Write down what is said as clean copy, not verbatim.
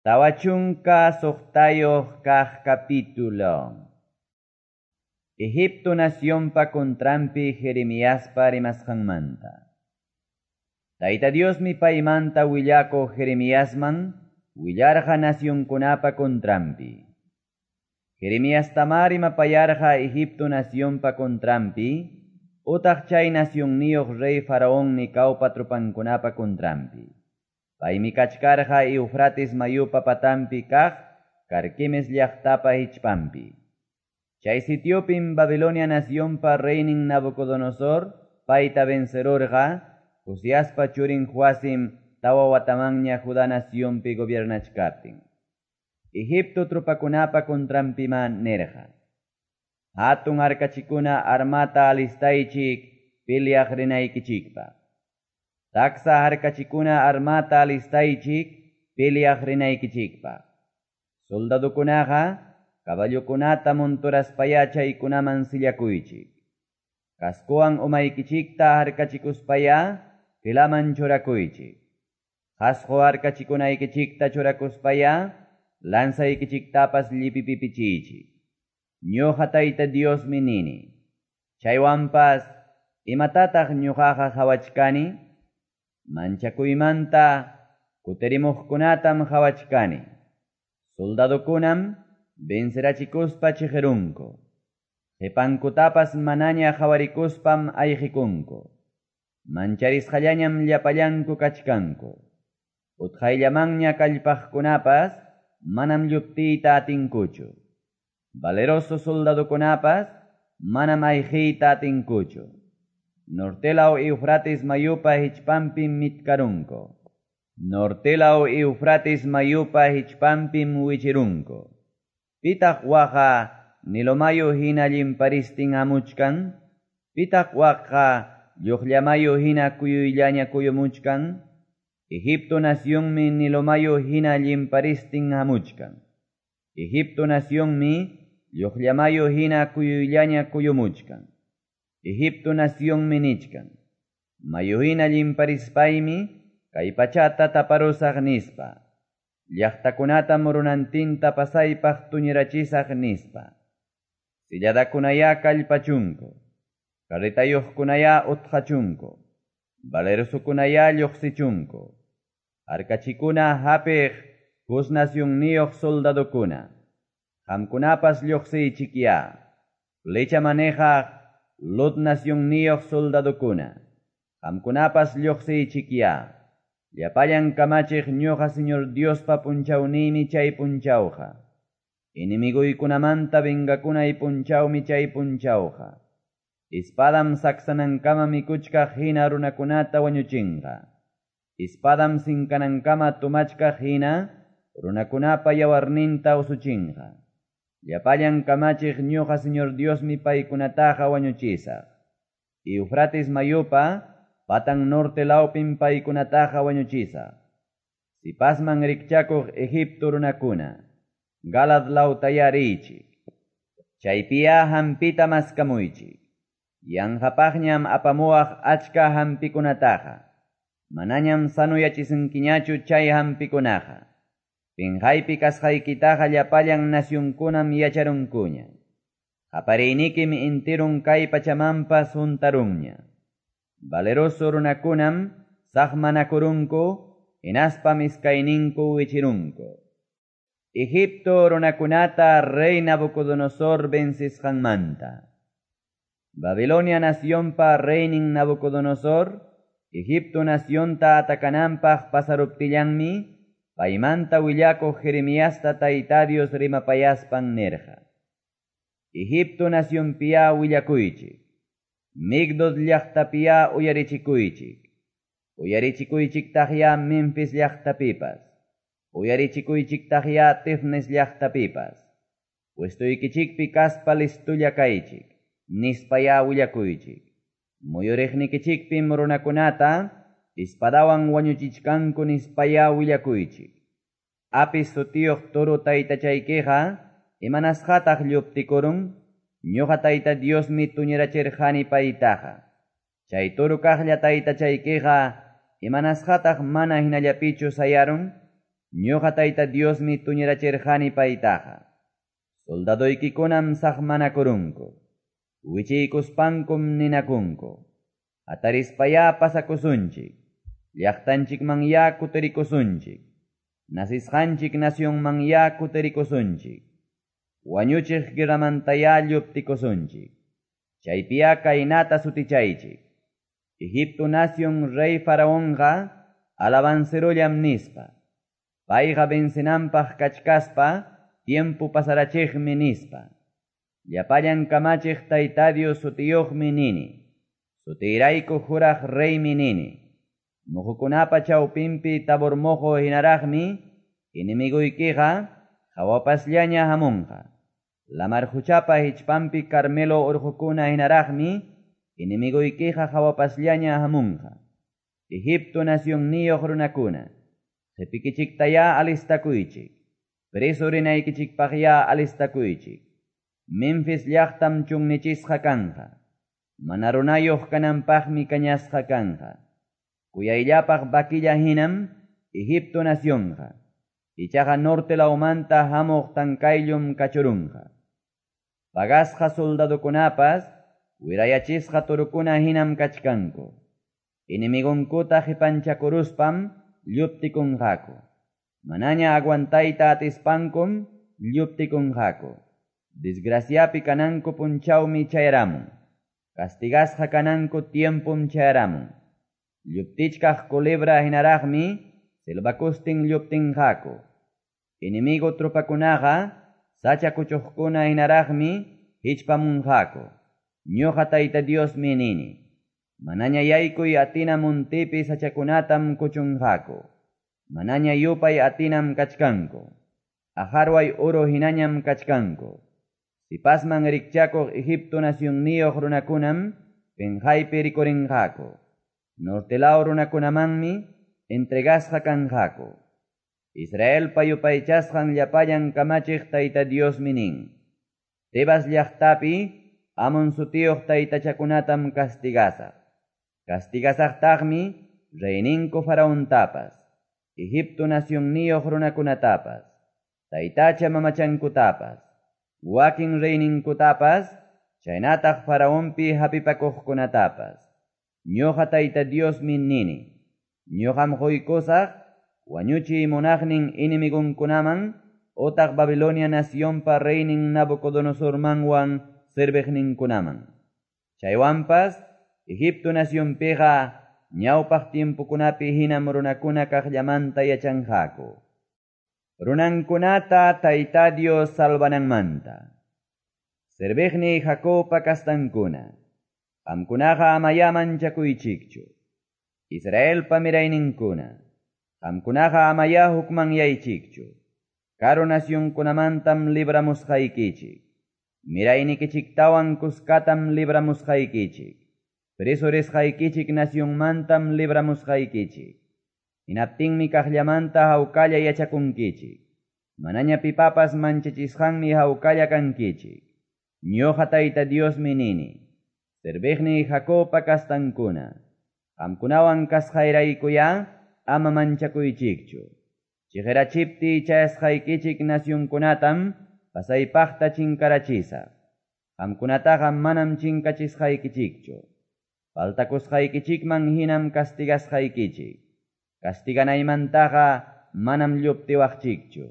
46 kaq capítulo. Egipto nacionpa contranpi Jeremiaspa rimasqanmanta. Tayta Diosmi paymanta willakuq Jeremiasman willarqa nacionkunapa contranpi. Jeremiastamá rimapayarqa Egipto nacionpa contranpi, utaq chay nacionniyuq rey Faraón Necaupa tropankunapa contranpi. Paymi kachkarqa Eufrates mayupa patanpi kaq Carquemes llaqtapa hichpanpi. Chay sitiopim Babilonia nacionpa reynin Nabucodonosor payta vencerurqa, Josiaspa churin Joacim tawa watamanña Judá nacionpi gobiernachkaptin. Egipto tropakunapa contranpima nerqa. Hatun harkachikuna armata alistaychik peleaq rinaykichikpaq. Taksa harkachikuna armata alistaychik peleaq rinaykichikpaq. Soldadukunaqa caballokunata monturaspaya chaykunaman sillakuychik. Cascowan umaykichikta harkachikuspaya filaman churakuychik. Qasqu harkachikunaykichikta churakuspaya lanzaykichiktapas llipipipichiychik. Ñuqa Tayta Diosmi nini. Chaywanpas imatataq ñuqaqa qhawachkani? Manchakuymanta kutirimuqkunatam qhawachkani. Soldadukunam vencerachikuspa chiqirunku. Qipankutapas manaña qhawarikuspam ayqikunku. Mancharisqallañam llapallanku kachkanku. Utqayllamanña kallpaqkunapas manam lluptiyta atinkuchu. Valeroso soldadukunapas manam ayqiyta atinkuchu. Nortelaw Eufrates mayupa hichpanpim mitkarunku. Nortelaw Eufrates mayupa hichpanpim wichirunku. Pitaq waqa Nilo mayu hina llimparistin hamuchkan? Pitaq waqa lluqllamayu hina kuyuyllaña kuyumuchkan? Egipto nacionmi Nilo mayu hina llimparistin hamuchkan. Egipto nacionmi lluqllamayu hina kuyuyllaña kuyumuchkan. Egipto nacionmi nichkan. Mayu hina llimparispaymi kay pachata taparusaq nispa. Llaqtakunata murunantinta pasaypaq tuñirachisaq nispa. Silladakunaya kallpachunku. Carretayuqkunaya utqachunku. Valerosukunaya lluqsichunku. Harkachikuna hapiq Cus nacionniyuq soldadukuna. Qamkunapas lluqsiychikya. Flecha manejaq Lud nacionniyuq soldadukuna. Qamkunapas lluqsiychikya. Llapallan kamachiq ñuqa Señor Diospa punchawniymi chay punchawqa. Enemiguykunamanta vengakunay punchawmi chay punchawqa. Espadam saksanankama mikuchkaq hina runakunata wañuchinqa. Espadam sinkanankama tumachkaq hina runakunapa yawarninta usuchinqa. Llapallan kamachiq ñuqa Señor Diosmi paykunataqa wañuchisaq. Eufrates mayupa patan norte lawpim paykunataqa wañuchisaq. Sipasman rikchakuq Egipto runakuna, Galad lawtaya riychik. Chaypiya hampita maskamuychik. Yanqapaqñam apamuwaq achka hampikunataqa. Manañam sanuyachisunkiñachu chay hampikunaqa. Pinqaypi kasqaykitaqa llapallan nacionkunam yacharunkuña. Qapariynikim intirun kay pachamanpas huntarunña. Valeroso runakunam saqmanakurunku, hinaspam iskayninku wichirunku. Egipto runakunata rey Nabucodonosor vencisqanmanta. Babilonia nacionpa reynin Nabucodonosor, Egipto nacionta atakananpaq pasaruptillanmi, paymanta willakuq Jeremiasta Tayta Dios rimapayaspan nirqa. Egipto nacionpiya willakuychik. Migdol llaqtapiya uyarichikuychik. Uyarichikuychiktaqya Memphis llaqtapipas. Uyarichikuychiktaqya Tifnes llaqtapipas. Puestuykichikpi kaspa listulla kaychik. Nispaya willakuychik. Muyuriqnikichikpim runakunata espadawan wañuchichkanku nispaya willakuychik. Apis sutiyuq toro taytachaykiqa imanasqataq lluptikurun? Ñuqa Tayta Diosmi tuñirachirqani paytaqa. Chay toro kaqlla taytachaykiqa imanasqataq mana hinallapichu sayarun? Ñoqa Tayta Diosmi tuñirachirqani paytaqa. Soldadoykikunam saqmanakurunku. Wichiykuspankum ninakunku. Hatarispayá pasakusunchik. Llaqtanchikmanyá kutirikusunchik. Nacesqanchik nacionmanyá kutirikusunchik. Wañuchiq guerramantayá lluptikusunchik. Chaypiyá kaynata sutichaychik. Egipto nación rey Faraonqa alabancerollam nispa. Payqa vencenanpaq kachkaspa tiempo pasarachiqmi nispa. Llapallan kamachiq Tayta Dios sutiyuqmi nini. Sutiyrayku juraq reymi nini. Muhukunapa chawpinpi Tabor moqo hinaraqmi enemiguykiqa hawapasllaña hamunqa. Lamar quchapa hichpanpi Carmelo urqukuna hinaraqmi enemiguykiqa hawapasllaña hamunqa. Egipto nacionniyuq runakuna. Qepikichiktayá alistakuychik. Preso rinaykichikpaqyá alistakuychik. Memphis llaqtam chunnichisqa kanqa. Mana runayuq kananpaqmi kañasqa kanqa. Kuyayllapaq vaquilla hinam Egipto nacionqa. Ichaqa norte lawmanta hamuq tankayllum kachurunqa. Pagasqa soldadokunapas wirayachisqa torokuna hinam kachkanku. Enemigonkuta qipanchakuruspam lluptikunqaku. Manaña aguantayta atispankum lluptikunqaku. Desgraciapi kananku punchawmi chayaramun. Castigasqa kananku tiempum chayaramun. Lluptichkaq culebra hinaraqmi selvakustin lluptinqaku. Enemigo tropakunaqa sacha kuchuqkuna hinaraqmi hichpamunqaku. Ñuqa Tayta Diosmi nini. Manaña yaykuy atina muntipi sachakunatam kuchunqaku. Manaña yupay atinam kachkanku. Ajarway oro hinañam kachkanku. Sipasman rikchakuq Egipto nacionniyuq runakunam penqaypi rikurinqaku. Norte law runakunamanmi entregasqa kanqaku. Israelpa yupaychasqan llapallan kamachiq Tayta Diosmi nin. Tebas llaqtapi Amon sutiyuq taytachakunatam castigasaq. Castigasaqtaqmi reyninku Faraontapas, Egipto nacionniyuq runakunatapas, taytacha mamachankutapas, wakin reyninkutapas, chaynataq Faraonpi hapipakuqkunatapas. Ñuqa Tayta Diosmi nini. Ñuqam quykusaq wañuchiy munaqnin enemigonkunaman utaq Babilonia nacionpa reynin Nabucodonosormanwan serviqninkunaman. Chaywanpas Egipto nacionpiqa ñawpaq tiempokunapi hinam runakuna kaqllamanta yachanqaku. Runankunata Tayta Dios salvananmanta. Serviqniy Jacobpa kastankuna. Qamkunaqa amayá manchakuychikchu. Israelpa mirayninkuna. Qamkunaqa amayá hukmanyaychikchu. Karu nacionkunamantam libramusqaykichik. Miraynikichiktawan kuskatam libramusqaykichik. Preso risqaykichik nacionmantam libramusqaykichik. Hinaptinmi kaqllamanta hawkalla yachakunkichik. Manaña pipapas manchachisqanmi hawkalla kankichik. Ñuqa Tayta Diosmi nini. Serviqniy Jacobpa kastankuna. Qamkunawan kasqayraykuyá ama manchakuychikchu. Chiqirachiptiy chayasqaykichik nacionkunatam pasaypaqta chinkarachisaq. Qamkunataqa manam chinkachisqaykichikchu. Faltakusqaykichikman hinam castigasqaykichik. Castiganaymantaqa manam lluptiwaqchikchu.